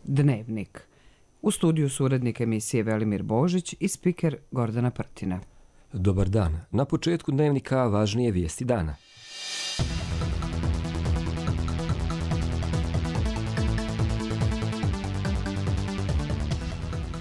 Dnevnik. U studiju su urednik emisije Velimir Božić i spiker Gordana Prtina. Dobar dan. Na početku Dnevnika važnije vijesti dana.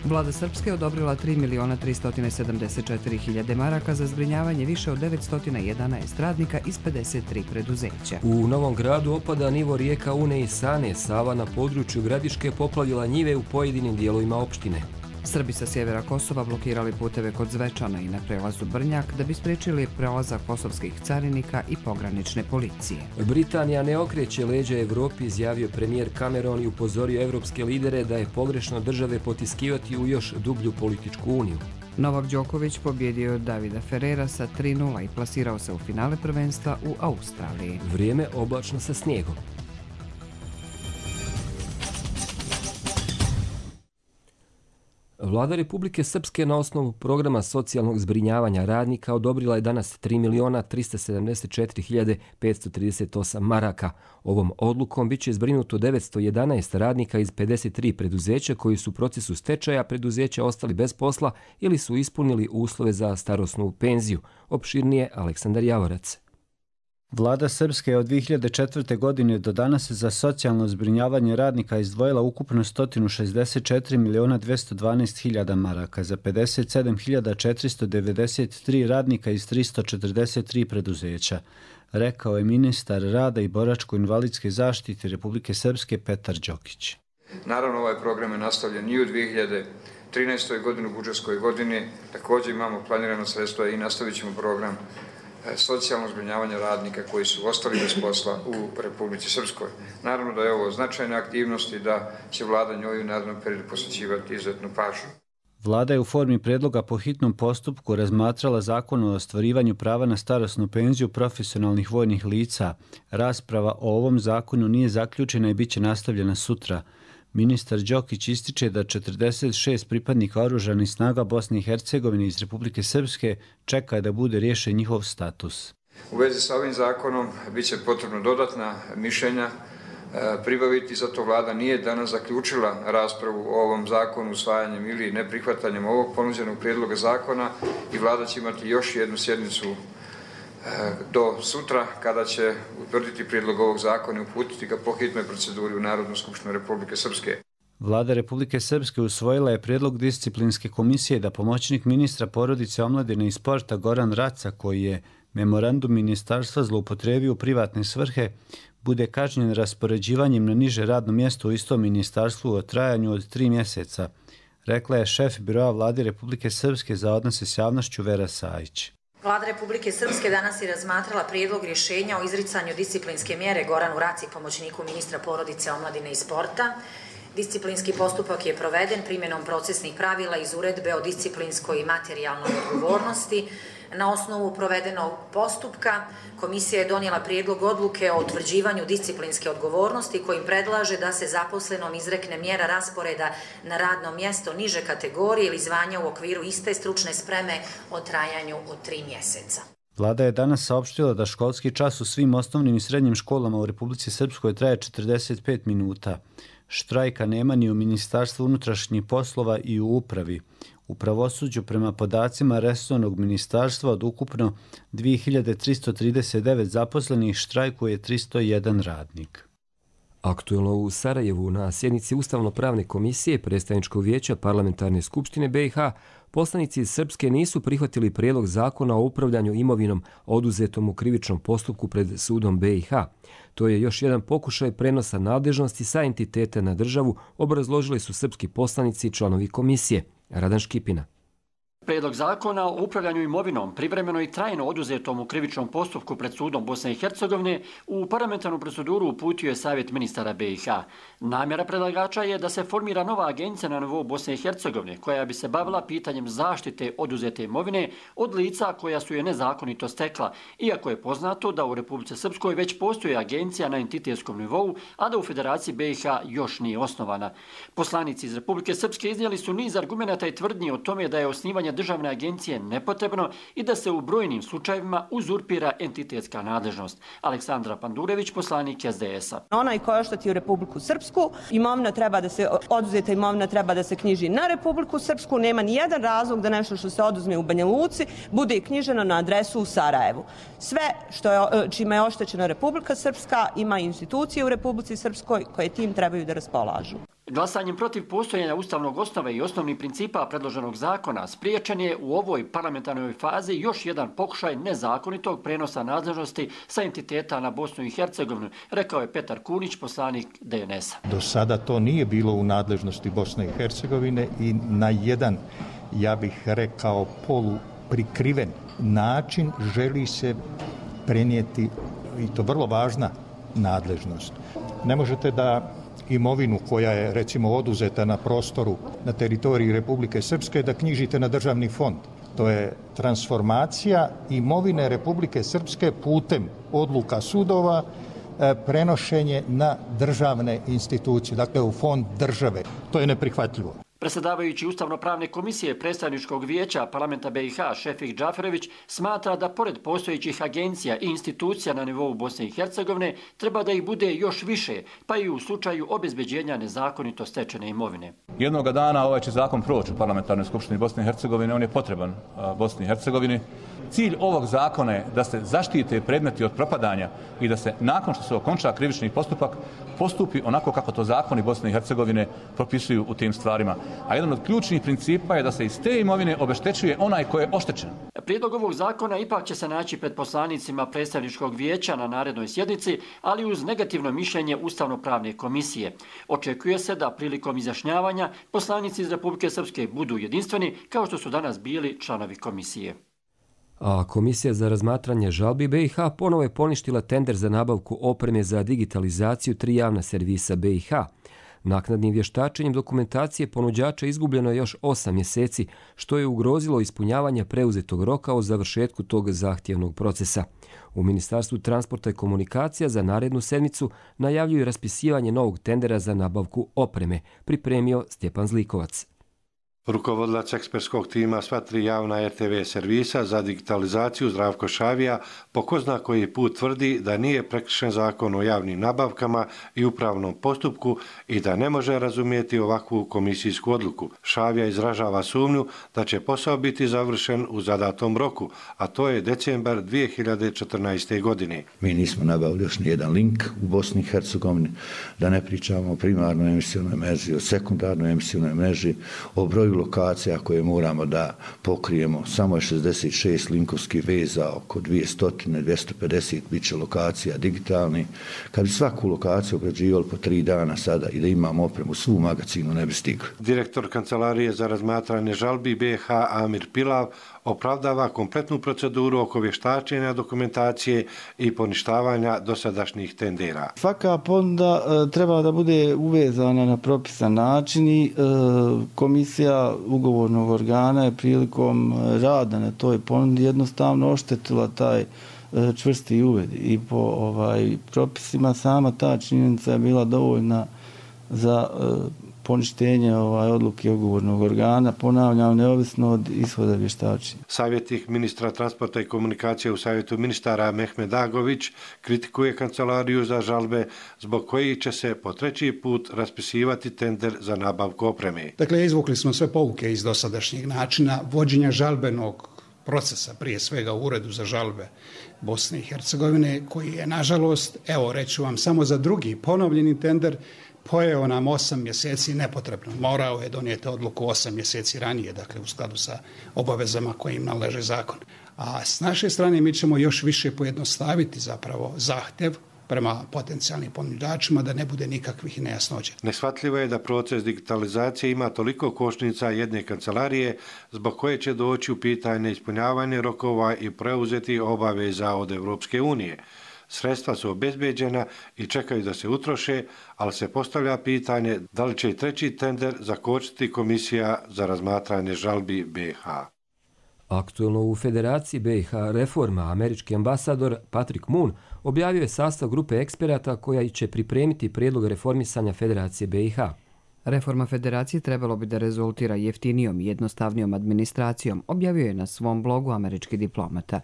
Vlada Srpske odobrila 3.374.000 maraka za zbrinjavanje više od 911 radnika iz 53 preduzeća. U Novom Gradu opada nivo rijeka Une i Sane. Sava na području Gradiške poplavila njive u pojedinim dijelovima opštine. Srbi sa sjevera Kosova blokirali puteve kod Zvečana i na prelazu Brnjak da bi spriječili prelazak kosovskih carinika i pogranične policije. Britanija ne okreće leđa Evropi, izjavio premijer Cameron i upozorio evropske lidere da je pogrešno države potiskivati u još dublju političku uniju. Novak Đoković pobjedio Davida Ferrera sa 3:0 i plasirao se u finale prvenstva u Australiji. Vrijeme oblačno sa snijegom. Vlada Republike Srpske na osnovu programa socijalnog zbrinjavanja radnika odobrila je danas 3.374.538 maraka. Ovom odlukom biće zbrinuto 911 radnika iz 53 preduzeća koji su u procesu stečaja preduzeća ostali bez posla ili su ispunili uslove za starosnu penziju. Opširnije Aleksandar Javorac. Vlada Srpske je od 2004. godine do danas za socijalno zbrinjavanje radnika izdvojila ukupno 164.212.000 maraka za 57.493 radnika iz 343 preduzeća, rekao je ministar rada i boračko-invalidske zaštite Republike Srpske Petar Đokić. Naravno, ovaj program je nastavljen i u 2013. godini, u budžetskoj godini. Također imamo planirano sredstva i nastavit ćemo program socijalno zbrinjavanje radnika koji su ostali bez posla u Republici Srpskoj. Naravno da je ovo značajna aktivnost i da će vlada njoj u narednom periodu posvećivati izuzetnu pažnju. Vlada je u formi predloga po hitnom postupku razmatrala zakon o ostvarivanju prava na starosnu penziju profesionalnih vojnih lica. Rasprava o ovom zakonu nije zaključena i bit će nastavljena sutra. Ministar Đokić ističe da 46 pripadnika oružanih snaga Bosne i Hercegovine iz Republike Srpske čeka da bude riješen njihov status. U vezi sa ovim zakonom bit će potrebno dodatna mišljenja pribaviti, zato vlada nije danas zaključila raspravu o ovom zakonu usvajanjem ili neprihvatanjem ovog ponuđenog prijedloga zakona i vlada će imati još jednu sjednicu do sutra kada će utvrditi prijedlog ovog zakona i uputiti ga po hitnoj proceduri u Narodnu skupštinu Republike Srpske. Vlada Republike Srpske usvojila je prijedlog disciplinske komisije da pomoćnik ministra porodice, omladine i sporta Goran Raca, koji je memorandum ministarstva zloupotrebio u privatne svrhe, bude kažnjen raspoređivanjem na niže radno mjesto u istom ministarstvu o trajanju od 3 mjeseca, rekla je šef biroa Vlade Republike Srpske za odnose s javnošću Vera Sajić. Vlada Republike Srpske danas je razmatrala prijedlog rješenja o izricanju disciplinske mjere Goranu Raci, pomoćniku ministra porodice, omladine i sporta. Disciplinski postupak je proveden primjenom procesnih pravila iz uredbe o disciplinskoj i materijalnoj odgovornosti. Na osnovu provedenog postupka komisija je donijela prijedlog odluke o utvrđivanju disciplinske odgovornosti kojim predlaže da se zaposlenom izrekne mjera rasporeda na radno mjesto niže kategorije ili zvanja u okviru iste stručne spreme o trajanju od 3 mjeseca. Vlada je danas saopštila da školski čas u svim osnovnim i srednjim školama u Republici Srpskoj traje 45 minuta. Štrajka nema ni u Ministarstvu unutrašnjih poslova i u upravi. U pravosuđu prema podacima resornog ministarstva od ukupno 2339 zaposlenih štrajkuje 301 radnik. Aktuelno u Sarajevu na sjednici Ustavno-pravne komisije Predstavničkog vijeća Parlamentarne skupštine BiH poslanici iz Srpske nisu prihvatili prijedlog zakona o upravljanju imovinom oduzetom u krivičnom postupku pred sudom BiH. To je još jedan pokušaj prenosa nadležnosti sa entiteta na državu, obrazložili su srpski poslanici i članovi komisije. Radan Škipina. Prijedlog zakona o upravljanju imovinom privremeno i trajno oduzetom u krivičnom postupku pred sudom Bosne i Hercegovine u parlamentarnu proceduru uputio je Savjet ministara BiH. Namjera predlagača je da se formira nova agencija na nivou Bosne i Hercegovine koja bi se bavila pitanjem zaštite oduzete imovine od lica koja su je nezakonito stekla, iako je poznato da u Republici Srpskoj već postoji agencija na entitetskom nivou, a da u Federaciji BiH još nije osnovana. Poslanici iz Republike Srpske iznijeli su niz argumenata i tvrdnji o tome da je osnivanje državne agencije nepotrebno i da se u brojnim slučajevima uzurpira entitetska nadležnost. Aleksandra Pandurević, poslanik SDS-a. Onaj ko je oštetio Republiku Srpsku, oduzeta imovina treba da se knjiži na Republiku Srpsku, nema ni jedan razlog da nešto što se oduzme u Banja Luci bude knjiženo na adresu u Sarajevu. Sve čime je oštećena Republika Srpska ima institucije u Republici Srpskoj koje tim trebaju da raspolažu. Glasanjem protiv postojanja ustavnog osnove i osnovnih principa predloženog zakona spriječen je u ovoj parlamentarnoj fazi još jedan pokušaj nezakonitog prenosa nadležnosti sa entiteta na Bosnu i Hercegovinu, rekao je Petar Kunić, poslanik DNS-a. Do sada to nije bilo u nadležnosti Bosne i Hercegovine i na jedan, ja bih rekao, poluprikriven način želi se prenijeti, i to vrlo važna nadležnost. Ne možete da imovinu koja je recimo oduzeta na prostoru na teritoriji Republike Srpske da knjižite na državni fond. To je transformacija imovine Republike Srpske putem odluka sudova, prenošenje na državne institucije, dakle u fond države. To je neprihvatljivo. Predsjedavajući Ustavno-pravne komisije predstavničkog vijeća parlamenta BiH Šefik Džaferović smatra da pored postojećih agencija i institucija na nivou Bosne i Hercegovine treba da ih bude još više, pa i u slučaju obezbeđenja nezakonito stečene imovine. Jednoga dana ovaj će zakon proći u parlamentarnoj skupštini Bosne i Hercegovine, on je potreban Bosni i Hercegovini. Cilj ovog zakona je da se zaštite predmeti od propadanja i da se nakon što se okonča krivični postupak postupi onako kako to zakoni Bosne i Hercegovine propisuju u tim stvarima. A jedan od ključnih principa je da se iz te imovine obeštećuje onaj ko je oštećen. Prijedlog ovog zakona ipak će se naći pred poslanicima predstavničkog vijeća na narednoj sjednici, ali uz negativno mišljenje Ustavno-pravne komisije. Očekuje se da prilikom izjašnjavanja poslanici iz Republike Srpske budu jedinstveni kao što su danas bili članovi komisije. A Komisija za razmatranje žalbi BiH ponovo je poništila tender za nabavku opreme za digitalizaciju 3 javna servisa BiH. Naknadnim vještačenjem dokumentacije ponuđača izgubljeno je još 8 mjeseci, što je ugrozilo ispunjavanje preuzetog roka o završetku tog zahtjevnog procesa. U Ministarstvu transporta i komunikacija za narednu sedmicu najavljuju raspisivanje novog tendera za nabavku opreme, pripremio Stjepan Zlikovac. Rukovodilac ekspertskog tima sva 3 javna RTV servisa za digitalizaciju Zdravko Šavija po ko zna koji put tvrdi da nije prekršen zakon o javnim nabavkama i upravnom postupku i da ne može razumjeti ovakvu komisijsku odluku. Šavija izražava sumnju da će posao biti završen u zadatom roku, a to je decembar 2014. godine. Mi nismo nabavili još nijedan link u Bosni i Hercegovini, da ne pričamo o primarnoj emisionoj mreži, o sekundarnoj emisionoj mreži, o broju lokacija koje moramo da pokrijemo. Samo je 66 linkovskih veza, oko 200-250 bit će lokacija digitalni. Kad bi svaku lokaciju obrađivali po 3 dana sada i da imamo opremu, svu magacinu ne bi stigli. Direktor Kancelarije za razmatranje žalbi BiH Amir Pilav opravdava kompletnu proceduru oko vještačenja dokumentacije i poništavanja dosadašnjih tendera. Svaka ponuda treba da bude uvezana na propisan način i komisija ugovornog organa je prilikom rada na toj ponudi jednostavno oštetila taj čvrsti uved i po propisima sama ta činjenica je bila dovoljna za poništenje odluke ugovornog organa, ponavljam, neovisno od ishoda vještačenja. Savjetnik ministra transporta i komunikacije u Savjetu ministara Mehmed Agović kritikuje Kancelariju za žalbe zbog kojih će se po 3. put raspisivati tender za nabavku opreme. Dakle, izvukli smo sve pouke iz dosadašnjeg načina vođenja žalbenog procesa, prije svega u Uredu za žalbe Bosne i Hercegovine, koji je, nažalost, evo reću vam, samo za drugi ponovljeni tender pojeo nam 8 mjeseci nepotrebno. Morao je donijeti odluku 8 mjeseci ranije, dakle u skladu sa obavezama koje im nalaže zakon. A s naše strane mi ćemo još više pojednostaviti zapravo zahtjev prema potencijalnim ponuđačima da ne bude nikakvih nejasnoća. Neshvatljivo je da proces digitalizacije ima toliko kočnica jedne kancelarije zbog koje će doći u pitanje ispunjavanje rokova i preuzeti obaveza od Europske unije. Sredstva su obezbeđena i čekaju da se utroše, ali se postavlja pitanje da li će i 3. tender zakočiti Komisija za razmatranje žalbi BiH. Aktuelno u Federaciji BiH Reforma američki ambasador Patrick Moon objavio je sastav grupe eksperata koja će pripremiti prijedlog reformisanja Federacije BiH. Reforma federacije trebalo bi da rezultira jeftinijom i jednostavnijom administracijom, objavio je na svom blogu američki diplomata.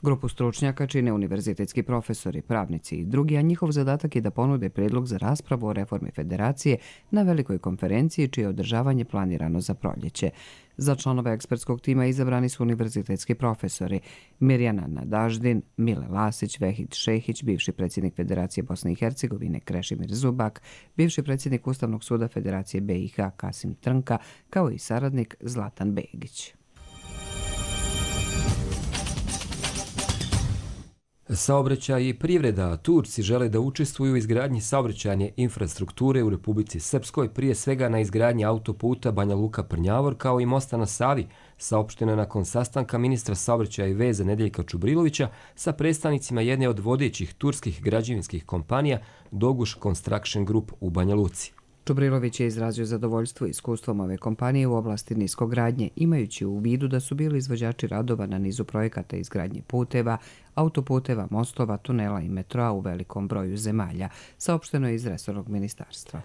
Grupu stručnjaka čine univerzitetski profesori, pravnici i drugi, a njihov zadatak je da ponude predlog za raspravu o reformi federacije na velikoj konferenciji čije održavanje planirano za proljeće. Za članove ekspertskog tima izabrani su univerzitetski profesori Mirjana Nadaždin, Mile Lasić, Vehid Šehić, bivši predsjednik Federacije Bosne i Hercegovine Krešimir Zubak, bivši predsjednik Ustavnog suda Federacije BiH Kasim Trnka, kao i saradnik Zlatan Begić. Saobraćaj i privreda. Turci žele da učestvuju u izgradnji saobraćajne infrastrukture u Republici Srpskoj, prije svega na izgradnji autoputa Banja Luka-Prnjavor kao i mosta na Savi, saopšteno je nakon sastanka ministra saobraćaja i veza Nedeljka Čubrilovića sa predstavnicima jedne od vodećih turskih građevinskih kompanija Doguš Construction Group u Banja Luci. Čubrilović je izrazio zadovoljstvo iskustvom ove kompanije u oblasti niskogradnje, imajući u vidu da su bili izvođači radova na nizu projekata izgradnje puteva, autoputeva, mostova, tunela i metroa u velikom broju zemalja, saopšteno je iz resornog ministarstva.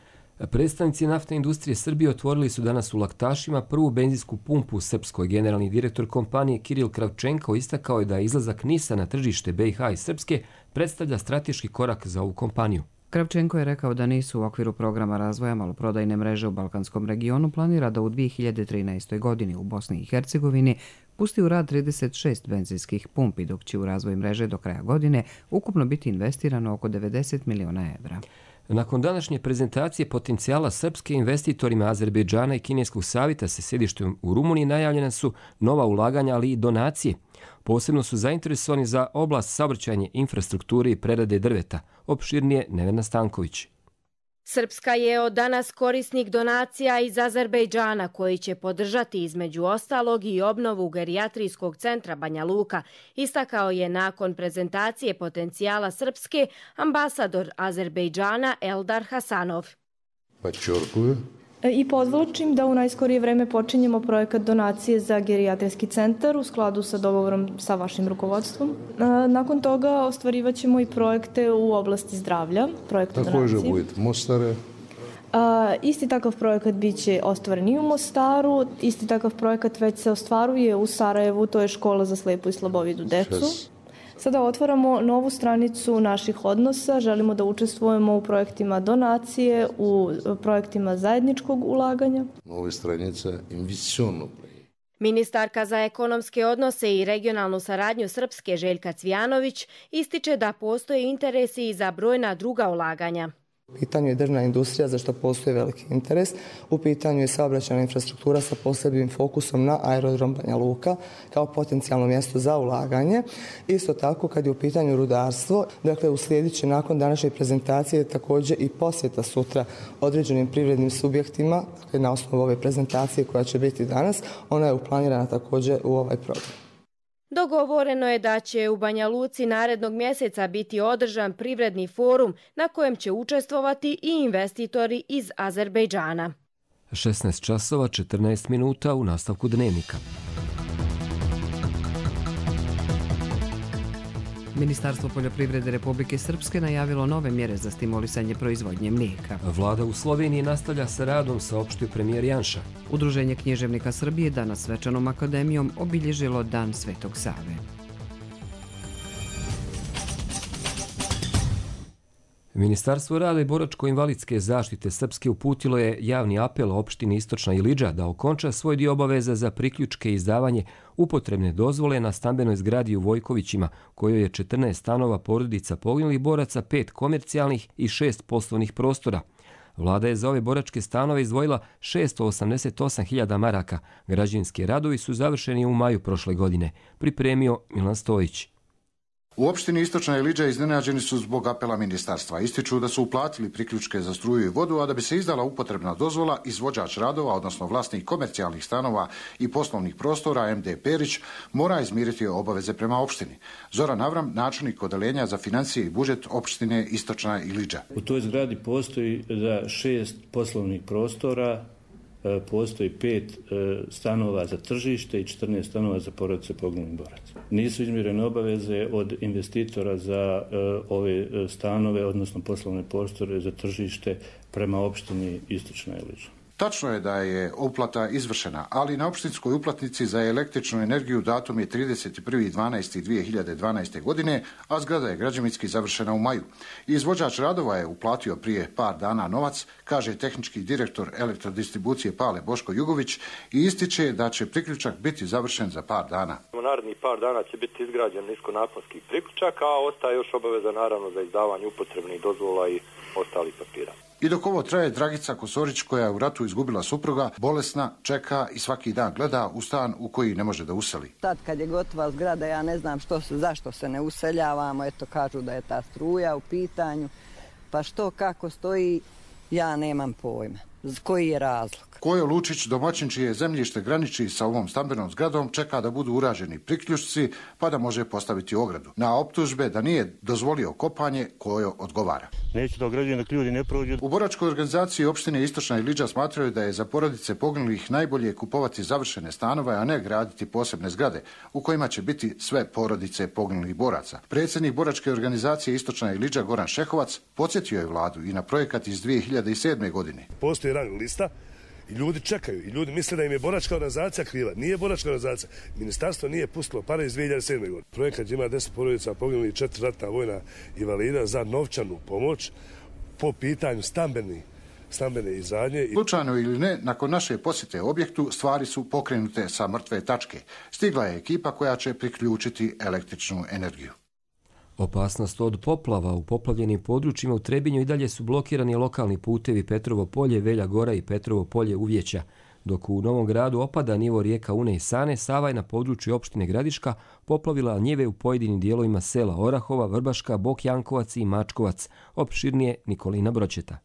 Predstavnici naftne industrije Srbije otvorili su danas u Laktašima prvu benzinsku pumpu u Srpskoj. Generalni direktor kompanije Kiril Kravčenko istakao je da izlazak NIS-a na tržište BiH i Srpske predstavlja strateški korak za ovu kompaniju. Kravčenko je rekao da NIS u okviru programa razvoja maloprodajne mreže u Balkanskom regionu planira da u 2013. godini u Bosni i Hercegovini pusti u rad 36 benzinskih pumpi, dok će u razvoj mreže do kraja godine ukupno biti investirano oko 90 miliona evra. Nakon današnje prezentacije potencijala Srpske, investitorima Azerbejdžana i Kineskog savjeta sa sjedištem u Rumuniji najavljena su nova ulaganja, ali i donacije. Posebno su zainteresovani za oblast saobraćajne infrastrukture i prerade drveta. Opširnije Nevena Stanković. Srpska je od danas korisnik donacija iz Azerbejdžana koji će podržati između ostalog i obnovu gerijatrijskog centra Banja Luka, istakao je nakon prezentacije potencijala Srpske ambasador Azerbejdžana Eldar Hasanov. I podvlačim da u najskorije vreme počinjemo projekat donacije za gerijatrijski centar u skladu sa dogovorom sa vašim rukovodstvom. Nakon toga ostvarivat ćemo i projekte u oblasti zdravlja, projekte donacije. Isti takav projekat bit će ostvaren i u Mostaru, isti takav projekat već se ostvaruje u Sarajevu, to je škola za slepu i slabovidu decu. Sada otvaramo novu stranicu naših odnosa, želimo da učestvujemo u projektima donacije, u projektima zajedničkog ulaganja. Nove stranice investicionog. Ministarka za ekonomske odnose i regionalnu saradnju Srpske Željka Cvijanović ističe da postoje interesi i za brojna druga ulaganja. U pitanju je drvna industrija, za što postoji veliki interes. U pitanju je saobraćajna infrastruktura sa posebnim fokusom na aerodrom Banja Luka kao potencijalno mjesto za ulaganje. Isto tako, kad je u pitanju rudarstvo, dakle uslijedit će nakon današnje prezentacije također i posjeta sutra određenim privrednim subjektima, dakle na osnovu ove prezentacije koja će biti danas, ona je uplanirana također u ovaj program. Dogovoreno je da će u Banja Luci narednog mjeseca biti održan privredni forum na kojem će učestvovati i investitori iz Azerbejdžana. 16 časova 14 minuta u nastavku dnevnika. Ministarstvo poljoprivrede Republike Srpske najavilo nove mjere za stimulisanje proizvodnje mlijeka. Vlada u Sloveniji nastavlja sa radom, saopštio premijer Janša. Udruženje književnika Srbije danas svečanom akademijom obilježilo Dan Svetog Save. Ministarstvo rada i boračko-invalidske zaštite Srpske uputilo je javni apel opštini Istočna Ilidža da okonča svoj dio obaveza za priključke i izdavanje upotrebne dozvole na stambenoj zgradi u Vojkovićima, kojoj je 14 stanova porodica poginulih boraca, 5 komercijalnih i 6 poslovnih prostora. Vlada je za ove boračke stanove izdvojila 688.000 maraka. Građevinski radovi su završeni u maju prošle godine, pripremio Milan Stojić. U opštini Istočna Ilidža iznenađeni su zbog apela ministarstva. Ističu da su uplatili priključke za struju i vodu, a da bi se izdala upotrebna dozvola, izvođač radova, odnosno vlasnik komercijalnih stanova i poslovnih prostora MD Perić, mora izmiriti obaveze prema opštini. Zoran Avram, načelnik odeljenja za financije i budžet opštine Istočna Ilidža. U toj zgradi postoji za 6 poslovnih prostora, postoji 5 stanova za tržište i 14 stanova za porodice poginulih boraca. Nisu izmirene obaveze od investitora za ove stanove, odnosno poslovne prostore za tržište prema opštini Istočna Ilidža. Tačno je da je uplata izvršena, ali na opštinskoj uplatnici za električnu energiju datum je 31.12.2012. godine, a zgrada je građevinski završena u maju. Izvođač radova je uplatio prije par dana novac, kaže tehnički direktor elektrodistribucije Pale Boško Jugović i ističe da će priključak biti završen za par dana. U narednih par dana će biti izgrađen niskonaponski priključak, a ostaje još obaveza naravno za izdavanje upotrebnih dozvola i ostalih papira. I dok ovo traje, Dragica Kosorić, koja je u ratu izgubila supruga, bolesna, čeka i svaki dan gleda u stan u koji ne može da useli. Sad kad je gotova zgrada, ja ne znam zašto se ne useljavamo, eto kažu da je ta struja u pitanju, pa što kako stoji, ja nemam pojma. Koji je razlog? Kojo Lučić, domaćin čije zemljište graniči sa ovom stambenom zgradom, čeka da budu urađeni priključci pa da može postaviti ogradu. Na optužbe da nije dozvolio kopanje, Kojo odgovara. Neću da ograđujem dok ljudi ne prođu. U boračkoj organizaciji opštine Istočna Iliđa smatraju da je za porodice poginulih najbolje kupovati završene stanove, a ne graditi posebne zgrade u kojima će biti sve porodice poginulih boraca. Predsjednik boračke organizacije Istočna Iliđa Goran Šehovac podsjetio je vladu i na projekat iz 2007. godine. Postoji rang lista i ljudi čekaju i ljudi misle da im je boračka organizacija kriva. Nije boračka organizacija. Ministarstvo nije pustilo pare iz 2007. godine. Projekat ima 10 porodica poginulih, 4 ratna vojna invalida za novčanu pomoć po pitanju stambene izgradnje. Slučajno ili ne, nakon naše posjete objektu stvari su pokrenute sa mrtve tačke. Stigla je ekipa koja će priključiti električnu energiju. Opasnost od poplava u poplavljenim područjima u Trebinju i dalje su blokirani lokalni putevi Petrovo polje, Velja Gora i Petrovo polje Uvjeća. Dok u Novom Gradu opada nivo rijeka Une i Sane, Sava je na području opštine Gradiška poplavila njive u pojedinim dijelovima sela Orahova, Vrbaška, Bok Jankovac i Mačkovac. Opširnije Nikolina Bročeta.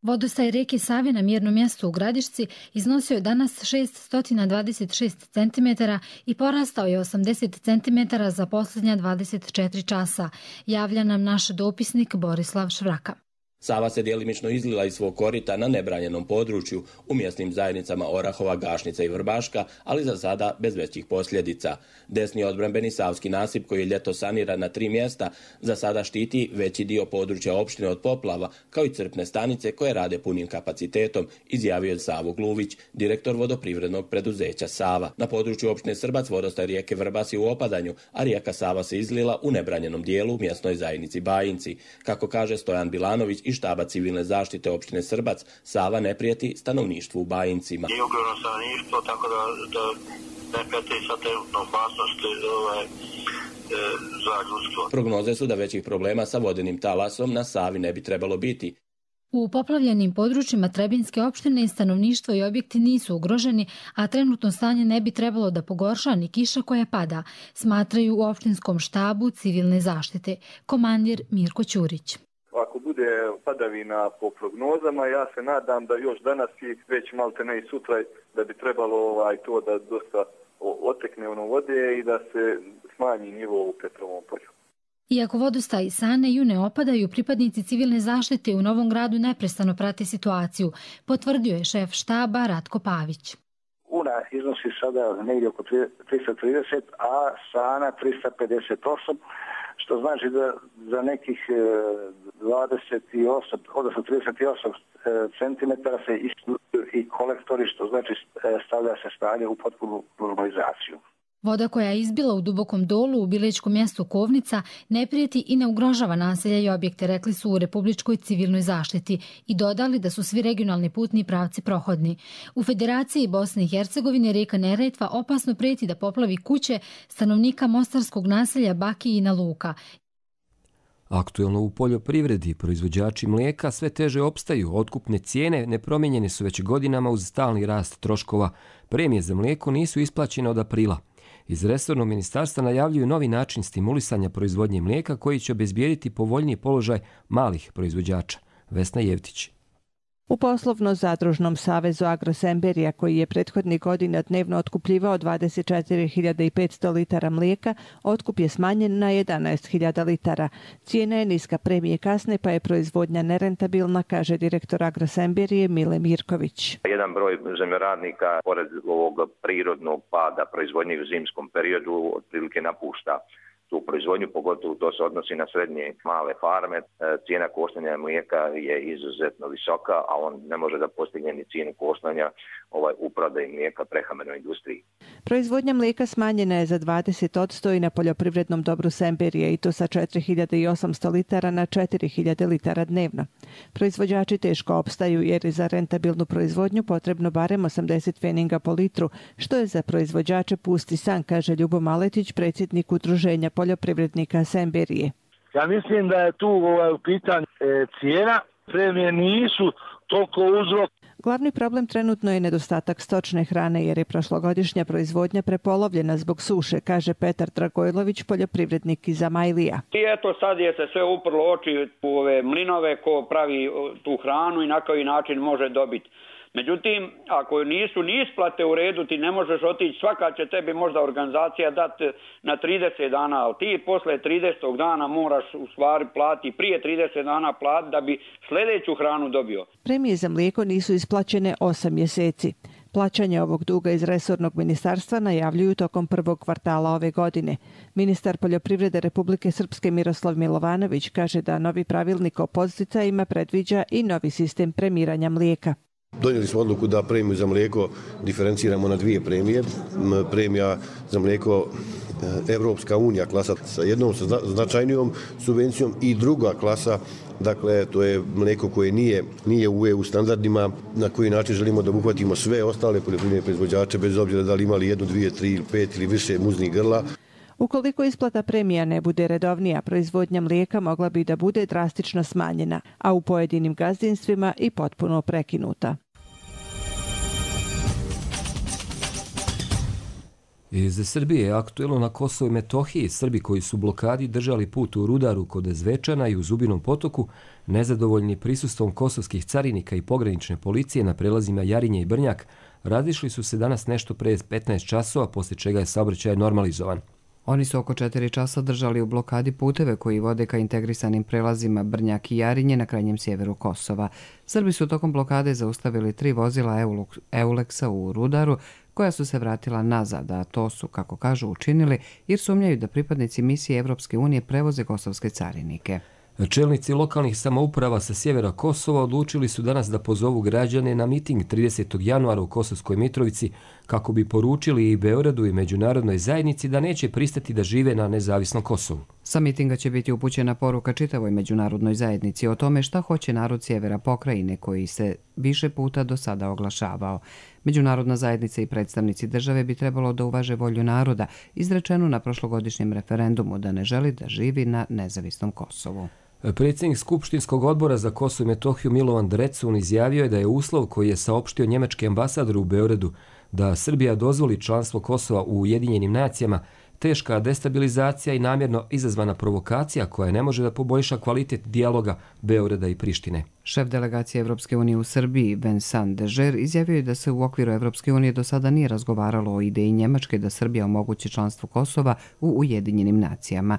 Vodostaj rijeke Save na mjernom mjestu u Gradišci iznosio je danas 626 cm i porastao je 80 cm za posljednja 24 časa, javlja nam naš dopisnik Borislav Švraka. Sava se djelimično izlila iz svog korita na nebranjenom području u mjesnim zajednicama Orahova, Gašnica i Vrbaška, ali za sada bez većih posljedica. Desni odbrambeni savski nasip koji je ljeto saniran na 3 mjesta za sada štiti veći dio područja opštine od poplava, kao i crpne stanice koje rade punim kapacitetom, izjavio je Savo Gluvić, direktor vodoprivrednog preduzeća Sava. Na području opštine Srbac vodostaj rijeke Vrbas je u opadanju, a rijeka Sava se izlila u nebranjenom dijelu u mjesnoj zajednici Bajinci. Kako kaže Stojan Bilanović i štaba civilne zaštite opštine Srbac, Sava ne prijeti stanovništvu u Bajincima. Nije ugroženo stanovništvo, tako da ne prijeti sa trenutnom opasnosti za ljudstvo. Prognoze su da većih problema sa vodenim talasom na Savi ne bi trebalo biti. U poplavljenim područjima Trebinjske opštine stanovništvo i objekti nisu ugroženi, a trenutno stanje ne bi trebalo da pogorša ni kiša koja pada, smatraju u opštinskom štabu civilne zaštite. Komandir Mirko Ćurić. Ako bude padavina po prognozama, ja se nadam da još danas i već malte ne i sutra da bi trebalo to da dosta otekne vode i da se smanji nivo u Petrovom polju. Iako vodostaj i Sane i Une opadaju, pripadnici civilne zaštite u Novom Gradu neprestano prate situaciju, potvrdio je šef štaba Ratko Pavić. Una iznosi sada negdje oko 330, a Sana 358, što znači da za nekih 28, odnosno 38 centimetara se isključuju i kolektori, što znači stavlja se stanje u potpunu normalizaciju. Voda koja je izbila u dubokom dolu u bilečkom mjestu Kovnica ne prijeti i ne ugrožava naselja i objekte, rekli su u Republičkoj civilnoj zaštiti i dodali da su svi regionalni putni pravci prohodni. U Federaciji Bosne i Hercegovine rijeka Neretva opasno prijeti da poplavi kuće stanovnika mostarskog naselja Bakijina Luka. Aktuelno u poljoprivredi proizvođači mlijeka sve teže opstaju, otkupne cijene nepromijenjene su već godinama uz stalni rast troškova. Premije za mlijeko nisu isplaćene od aprila. Iz resornog ministarstva najavljuju novi način stimulisanja proizvodnje mlijeka koji će obezbijediti povoljniji položaj malih proizvođača. Vesna Jevtić. U poslovno-zadružnom savezu Agrosemberija, koji je prethodnih godina dnevno otkupljivao 24.500 litara mlijeka, otkup je smanjen na 11.000 litara. Cijena je niska, premije kasne, pa je proizvodnja nerentabilna, kaže direktor Agrosemberije Mile Mirković. Jedan broj zemljoradnika, pored ovog prirodnog pada proizvodnje u zimskom periodu, otprilike napušta tu proizvodnju, pogotovo to se odnosi na srednje male farme. Cijena koštanja mlijeka je izuzetno visoka, a on ne može da postigne ni cijenu koštanja u prodaji mlijeka prehrambenoj industriji. Proizvodnja mlijeka smanjena je za 20% i na poljoprivrednom dobru Semberije, i to sa 4800 litara na 4000 litara dnevno. Proizvođači teško opstaju jer je za rentabilnu proizvodnju potrebno barem 80 pfeninga po litru, što je za proizvođače pusti san, kaže Ljubo Maletić, predsjednik Udruženja poljoprivrednika Semberije. Ja mislim da je tu u pitanju cijena, premije nisu toliko uzrok. Glavni problem trenutno je nedostatak stočne hrane jer je prošlogodišnja proizvodnja prepolovljena zbog suše, kaže Petar Dragojlović, poljoprivrednik iz Amajlija. I eto sad je se sve uprlo oči u ove mlinove ko pravi tu hranu i na koji način može dobiti. Međutim, ako nisu ni isplate u redu, ti ne možeš otići, svaka će tebi možda organizacija dati na 30 dana, ali ti posle 30. dana moraš u stvari platiti, prije 30 dana platiti da bi sljedeću hranu dobio. Premije za mlijeko nisu isplaćene 8 mjeseci. Plaćanje ovog duga iz resornog ministarstva najavljuju tokom prvog kvartala ove godine. Ministar poljoprivrede Republike Srpske Miroslav Milovanović kaže da novi pravilnik o podsticajima predviđa i novi sistem premiranja mlijeka. Donijeli smo odluku da premiju za mlijeko diferenciramo na dvije premije. Premija za mlijeko Evropska unija klasa sa jednom značajnijom subvencijom i druga klasa, dakle to je mlijeko koje nije u EU standardima, na koji način želimo da obuhvatimo sve ostale poljoprivredne proizvođače bez obzira da li imali 1, 2, 3, 5 ili više muznih grla. Ukoliko isplata premija ne bude redovnija, proizvodnja mlijeka mogla bi da bude drastično smanjena, a u pojedinim gazdinstvima i potpuno prekinuta. Iz Srbije je aktuelno na Kosovu i Metohiji. Srbi koji su blokadi držali put u Rudaru kod Zvečana i u Zubinom potoku, nezadovoljni prisustvom kosovskih carinika i pogranične policije na prelazima Jarinje i Brnjak, razišli su se danas nešto pre 15 časova, poslije čega je saobraćaj normalizovan. Oni su oko 4 časa držali u blokadi puteve koji vode ka integrisanim prelazima Brnjak i Jarinje na krajnjem sjeveru Kosova. Srbi su tokom blokade zaustavili 3 vozila Euleksa u Rudaru, koja su se vratila nazad, a to su, kako kažu, učinili jer sumnjaju da pripadnici misije Evropske unije prevoze kosovske carinike. Čelnici lokalnih samouprava sa sjevera Kosova odlučili su danas da pozovu građane na miting 30. januara u Kosovskoj Mitrovici kako bi poručili i Beogradu i međunarodnoj zajednici da neće pristati da žive na nezavisnom Kosovu. Sa mitinga će biti upućena poruka čitavoj međunarodnoj zajednici o tome šta hoće narod sjevera pokrajine koji se više puta do sada oglašavao. Međunarodna zajednica i predstavnici države bi trebalo da uvaže volju naroda, izrečenu na prošlogodišnjem referendumu da ne želi da živi na nezavisnom Kosovu. Predsjednik Skupštinskog odbora za Kosovo i Metohiju Milovan Drecun izjavio je da je uslov koji je saopštio njemački ambasador u Beogradu da Srbija dozvoli članstvo Kosova u Ujedinjenim nacijama teška destabilizacija i namjerno izazvana provokacija koja ne može da poboljša kvalitet dijaloga Beograda i Prištine. Šef delegacije Evropske unije u Srbiji, Vincent Dežer, izjavio je da se u okviru Evropske unije do sada nije razgovaralo o ideji Njemačke da Srbija omogući članstvo Kosova u Ujedinjenim nacijama.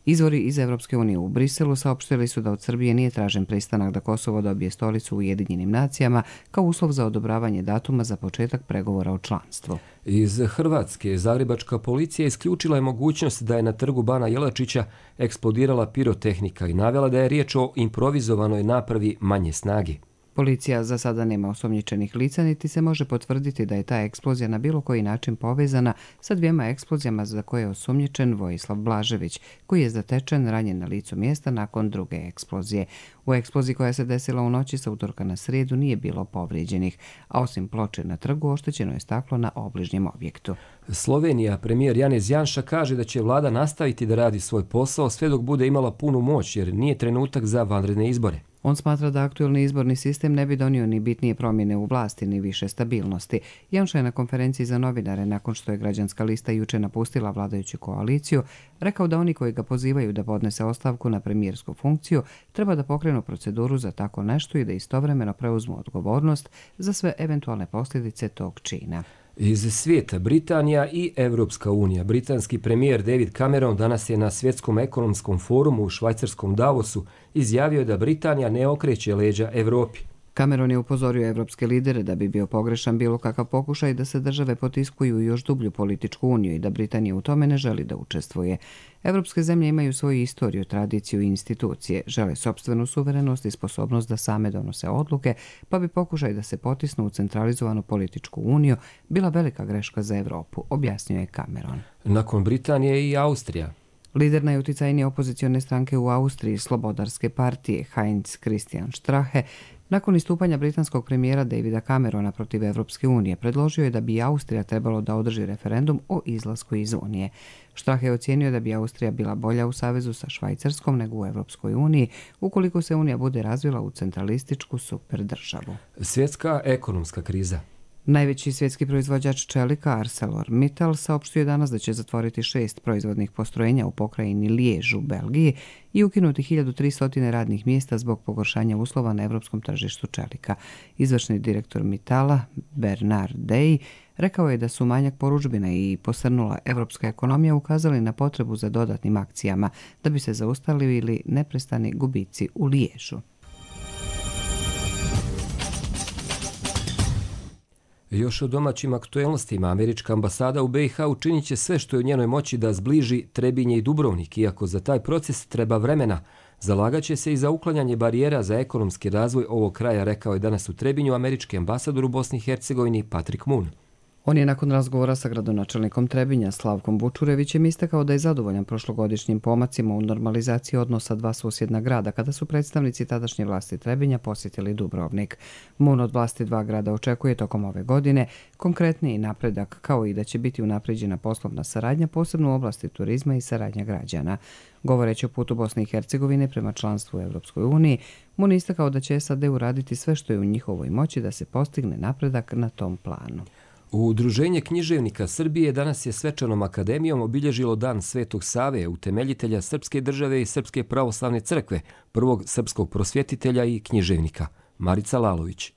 Izvori iz Evropske unije u Briselu saopštili su da od Srbije nije tražen pristanak da Kosovo dobije stolicu u Ujedinjenim nacijama kao uslov za odobravanje datuma za početak pregovora o članstvu. Iz Hrvatske zagrebačka policija isključila je mogućnost da je na trgu Bana Jelačića eksplodirala pirotehnika i navela da je riječ o improvizovanoj napravi manje snage. Policija za sada nema osumnjičenih lica, niti se može potvrditi da je ta eksplozija na bilo koji način povezana sa 2 eksplozijama za koje je osumnjičen Vojislav Blažević, koji je zatečen ranjen na licu mjesta nakon druge eksplozije. U eksploziji koja se desila u noći sa utorka na srijedu nije bilo povrijeđenih, a osim ploče na trgu oštećeno je staklo na obližnjem objektu. Slovenija, premijer Janez Janša kaže da će vlada nastaviti da radi svoj posao sve dok bude imala punu moć jer nije trenutak za vanredne izbore. On smatra da aktuelni izborni sistem ne bi donio ni bitnije promjene u vlasti ni više stabilnosti. Janša je na konferenciji za novinare, nakon što je građanska lista juče napustila vladajuću koaliciju, rekao da oni koji ga pozivaju da podnese ostavku na premijersku funkciju treba da pokrenu proceduru za tako nešto i da istovremeno preuzmu odgovornost za sve eventualne posljedice tog čina. Iz svijeta Britanija i Evropska unija. Britanski premijer David Cameron danas je na svjetskom ekonomskom forumu u švajcarskom Davosu izjavio da Britanija ne okreće leđa Evropi. Cameron je upozorio evropske lidere da bi bio pogrešan bilo kakav pokušaj da se države potiskuju u još dublju političku uniju i da Britanija u tome ne želi da učestvuje. Evropske zemlje imaju svoju istoriju, tradiciju i institucije, žele sopstvenu suverenost i sposobnost da same donose odluke, pa bi pokušaj da se potisnu u centralizovanu političku uniju bila velika greška za Evropu, objasnio je Cameron. Nakon Britanije i Austrija. Lider najuticajnije opozicione stranke u Austriji, Slobodarske partije, Heinz Christian Strache, nakon istupanja britanskog premijera Davida Camerona protiv Evropske unije, predložio je da bi Austrija trebalo da održi referendum o izlasku iz Unije. Strache je ocijenio da bi Austrija bila bolja u savezu sa Švajcarskom nego u Evropskoj uniji, ukoliko se Unija bude razvila u centralističku superdržavu. Svjetska ekonomska kriza. Najveći svjetski proizvođač čelika ArcelorMittal saopštio danas da će zatvoriti 6 proizvodnih postrojenja u pokrajini Lijež u Belgiji i ukinuti 1300 radnih mjesta zbog pogoršanja uslova na evropskom tržištu čelika. Izvršni direktor Mittala, Bernard Dey, rekao je da su manjak porudžbina i posrnula evropska ekonomija ukazali na potrebu za dodatnim akcijama da bi se zaustavili neprestani gubici u Liježu. Još o domaćim aktuelnostima, američka ambasada u BiH učinit će sve što je u njenoj moći da zbliži Trebinje i Dubrovnik, iako za taj proces treba vremena. Zalagat će se i za uklanjanje barijera za ekonomski razvoj ovog kraja, rekao je danas u Trebinju američki ambasador u Bosni i Hercegovini Patrick Moon. On je nakon razgovora sa gradonačelnikom Trebinja Slavkom Bučurevićem istakao da je zadovoljan prošlogodišnjim pomacima u normalizaciji odnosa dva susjedna grada kada su predstavnici tadašnje vlasti Trebinja posjetili Dubrovnik. Moon od vlasti dva grada očekuje tokom ove godine konkretniji napredak, kao i da će biti unapređena poslovna saradnja, posebno u oblasti turizma i saradnja građana. Govoreći o putu Bosne i Hercegovine prema članstvu u Evropskoj uniji, Moon istakao da će SAD uraditi sve što je u njihovoj moći da se postigne napredak na tom planu. Udruženje književnika Srbije danas je svečanom akademijom obilježilo Dan Svetog Save, utemeljitelja srpske države i Srpske pravoslavne crkve, prvog srpskog prosvjetitelja i književnika. Marica Lalović.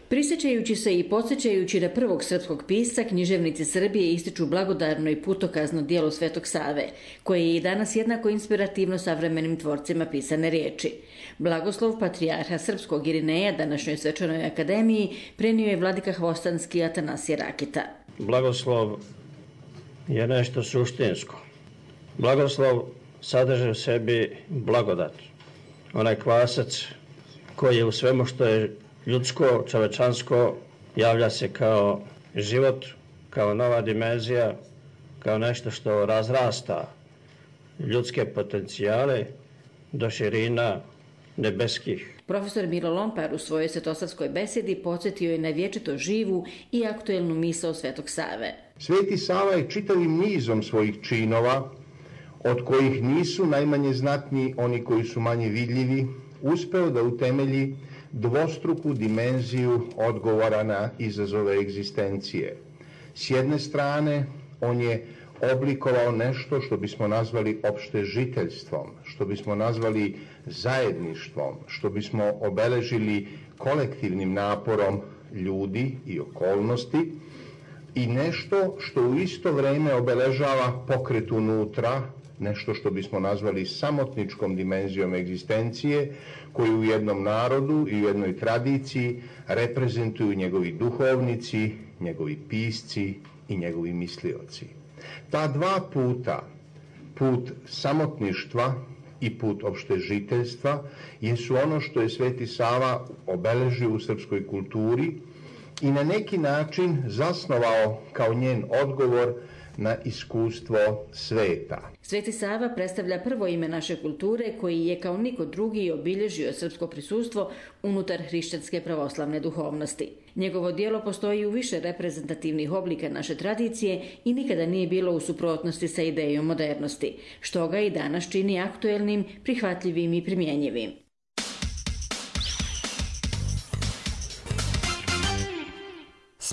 Prisjećajući se i podsjećajući da prvog srpskog pisca, književnici Srbije ističu blagodarno i putokazno djelo Svetog Save, koje je i danas jednako inspirativno savremenim tvorcima pisane riječi. Blagoslov patrijarha srpskog Irineja današnjoj svečanoj akademiji prenio je vladika Hvostanski Atanasije Rakita. Blagoslov je nešto suštinsko. Blagoslov sadrži u sebi blagodat. Onaj kvasac koji je u svemu što je ljudsko, čovečansko, javlja se kao život, kao nova dimenzija, kao nešto što razrasta ljudske potencijale do širina nebeskih. Profesor Milo Lompar u svojoj svetosavskoj besedi podsjetio je na vječito živu i aktuelnu misao Svetog Save. Sveti Sava je čitavim nizom svojih činova, od kojih nisu najmanje znatni oni koji su manje vidljivi, uspeo da utemelji dvostruku dimenziju odgovora na izazove egzistencije. S jedne strane, on je oblikovao nešto što bismo nazvali opštežiteljstvom, što bismo nazvali zajedništvom, što bismo obeležili kolektivnim naporom ljudi i okolnosti i nešto što u isto vrijeme obeležava pokret unutra, nešto što bismo nazvali samotničkom dimenzijom egzistencije, koju u jednom narodu i u jednoj tradiciji reprezentuju njegovi duhovnici, njegovi pisci i njegovi mislioci. Ta dva puta, put samotništva i put opštežiteljstva, jesu ono što je Sveti Sava obeležio u srpskoj kulturi i na neki način zasnovao kao njen odgovor na iskustvo sveta. Sveti Sava predstavlja prvo ime naše kulture koji je kao niko drugi obilježio srpsko prisustvo unutar hrišćanske pravoslavne duhovnosti. Njegovo djelo postoji u više reprezentativnih oblika naše tradicije i nikada nije bilo u suprotnosti sa idejom modernosti, što ga i danas čini aktuelnim, prihvatljivim i primjenjivim.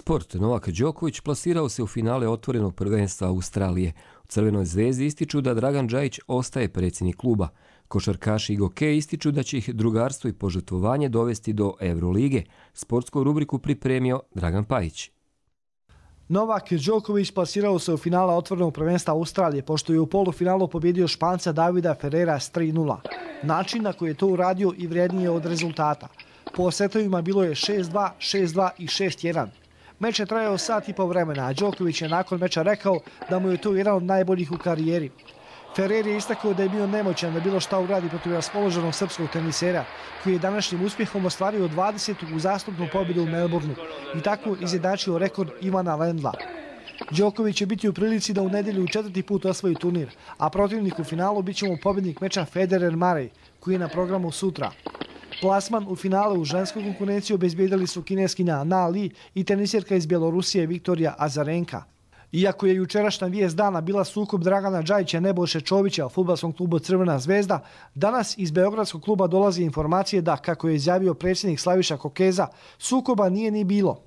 Sport. Novak Đoković plasirao se u finale otvorenog prvenstva Australije. U Crvenoj zvezdi ističu da Dragan Džajić ostaje predsjednik kluba. Košarkaši i gokeji ističu da će ih drugarstvo i požrtvovanje dovesti do Eurolige. Sportsku rubriku pripremio Dragan Pajić. Novak Đoković plasirao se u finala otvorenog prvenstva Australije, pošto je u polufinalu pobjedio Španca Davida Ferrera s 3:0. Način na koji je to uradio i vrijednije od rezultata. Po setovima bilo je 6-2, 6-2 i 6-1. Meč je trajao sat i po vremena, a Đoković je nakon meča rekao da mu je to jedan od najboljih u karijeri. Ferrer je istakao da je bio nemoćan da bilo šta uradi protiv raspoloženog srpskog tenisera, koji je današnjim uspjehom ostvario 20. uzastopnu pobjedu u Melbourneu i tako izjednačio rekord Ivana Lendla. Đoković će biti u prilici da u nedjelju 4. put osvoji turnir, a protivnik u finalu bit će mu pobjednik meča Federer-Murray, koji je na programu sutra. Plasman u finale u ženskoj konkurenciji obezbijedili su kineskinja Na Li i tenisjerka iz Bjelorusije Viktorija Azarenka. Iako je jučerašnja vijest dana bila sukob Dragana Džajića i Nebojše Čovića u fudbalskom klubu Crvena zvezda, danas iz Beogradskog kluba dolazi informacije da, kako je izjavio predsjednik Slaviša Kokeza, sukoba nije ni bilo.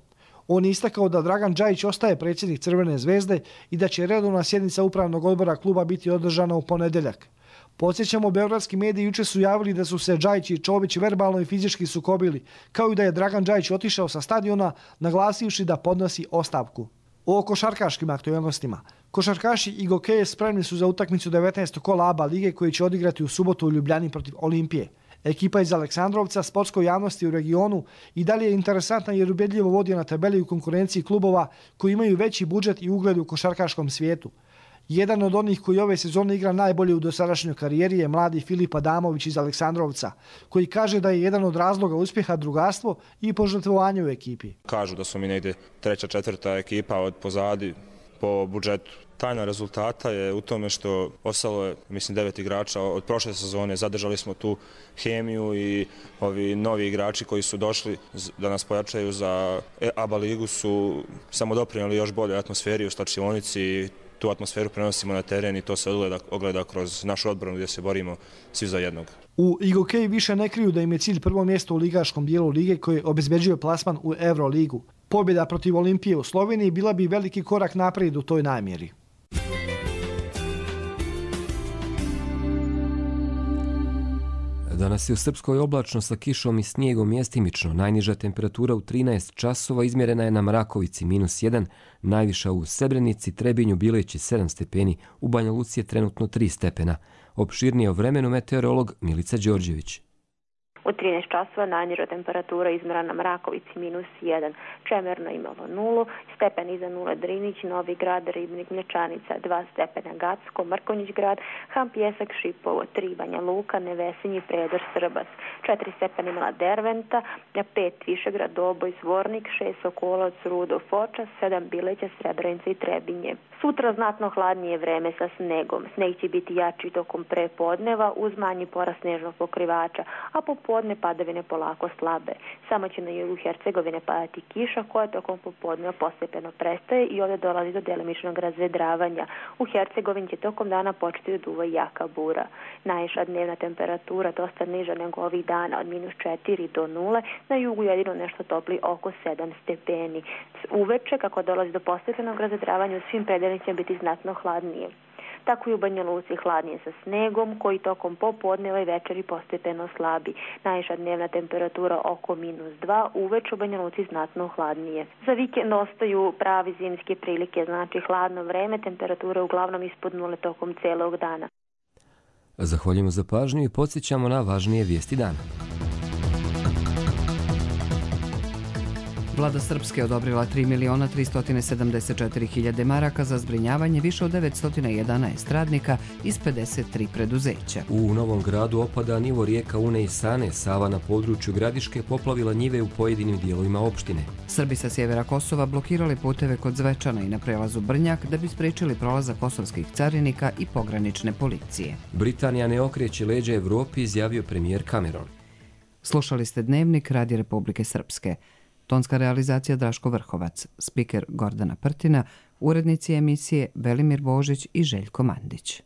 On je istakao da Dragan Džajić ostaje predsjednik Crvene zvezde i da će redovna sjednica upravnog odbora kluba biti održana u ponedjeljak. Podsjećamo, beogradski mediji jučer su javili da su se Džajić i Čović verbalno i fizički sukobili, kao i da je Dragan Džajić otišao sa stadiona, naglasivši da podnosi ostavku. O košarkaškim aktualnostima. Košarkaši i gokeje spremni su za utakmicu 19. kola ABA lige koji će odigrati u subotu u Ljubljani protiv Olimpije. Ekipa iz Aleksandrovca sportskoj javnosti u regionu i dalje je interesantna jer ubedljivo vodi na tabeli u konkurenciji klubova koji imaju veći budžet i ugled u košarkaškom svijetu. Jedan od onih koji ove sezone igra najbolje u dosadašnjoj karijeri je mladi Filip Adamović iz Aleksandrovca, koji kaže da je jedan od razloga uspjeha drugarstvo i požrtvovanje u ekipi. Kažu da smo mi negdje 3., 4. ekipa od pozadi po budžetu. Tajna rezultata je u tome što ostalo je, mislim, 9 igrača od prošle sezone. Zadržali smo tu hemiju i ovi novi igrači koji su došli da nas pojačaju za ABA ligu su samo doprinijeli još bolje atmosferi u slačionici. Tu atmosferu prenosimo na teren i to se ogleda kroz našu odbranu gdje se borimo svi za jednog. U Igokeji više ne kriju da im je cilj prvo mjesto u ligaškom dijelu lige koji obezbeđuje plasman u Euroligu. Pobjeda protiv Olimpije u Sloveniji bila bi veliki korak naprijed u toj namjeri. Danas je u Srpskoj oblačno sa kišom i snijegom mjestimično. Najniža temperatura u 13 časova izmjerena je na Mrakovici -1, najviša u Srebrenici, Trebinju, Bileći 7 stepeni, u Banja Luci je trenutno 3 stepena. Opširnije o vremenu meteorolog Milica Đorđević. U 13 časova najniža temperatura izmjerena na Mrakovici -1, Čemerno imalo 0, stepen iza 0 Drinić, Novi Grad, Ribnik, Mlječanica 2 stepena Gacko, Mrkonjić grad, Ham Pjesak, Šipovo 3, Banja Luka, Nevesinji, Predor, Srbas 4 stepena imala Derventa, 5 Višegrad, Doboj, Zvornik, 6 Sokolac, Rudo, Foča, 7 Bileća, Srebrenica i Trebinje. Sutra znatno hladnije vreme sa snegom. Sneg će biti jači tokom prepodneva uz manji porast snežnog pokrivača, a popodne padavine polako slabe. Samo će na jugu Hercegovine padati kiša koja tokom popodneva postepeno prestaje i ovdje dolazi do delimičnog razvedravanja. U Hercegovini će tokom dana početi da duva jaka bura. Najviša dnevna temperatura dosta niža nego ovih dana od -4 do 0, na jugu jedino nešto topli oko 7 stepeni. Uveče, kako dolazi do postepenog razvedravanja, u svim predelima će biti znatno hladnije. Tako i u Banja Luci hladnije sa snegom, koji tokom popodneva i večeri postepeno slabi. Najviša dnevna temperatura oko -2, uveče u Banja Luci znatno hladnije. Za vikend ostaju pravi zimske prilike, znači hladno vreme, temperatura uglavnom ispod 0 tokom celog dana. Zahvaljujemo za pažnju i podsjećamo na važnije vijesti dana. Vlada Srpske odobrila 3.374.000 maraka za zbrinjavanje više od 911 radnika iz 53 preduzeća. U Novom Gradu opada nivo rijeka Une i Sane. Sava na području Gradiške poplavila njive u pojedinim dijelovima opštine. Srbi sa sjevera Kosova blokirali puteve kod Zvečana i na prelazu Brnjak da bi spriječili prolazak kosovskih carinika i pogranične policije. Britanija ne okreće leđa Evropi, izjavio premijer Cameron. Slušali ste Dnevnik Radija Republike Srpske. Tonska realizacija Draško Vrhovac, spiker Gordana Prtina, urednici emisije Velimir Božić i Željko Mandić.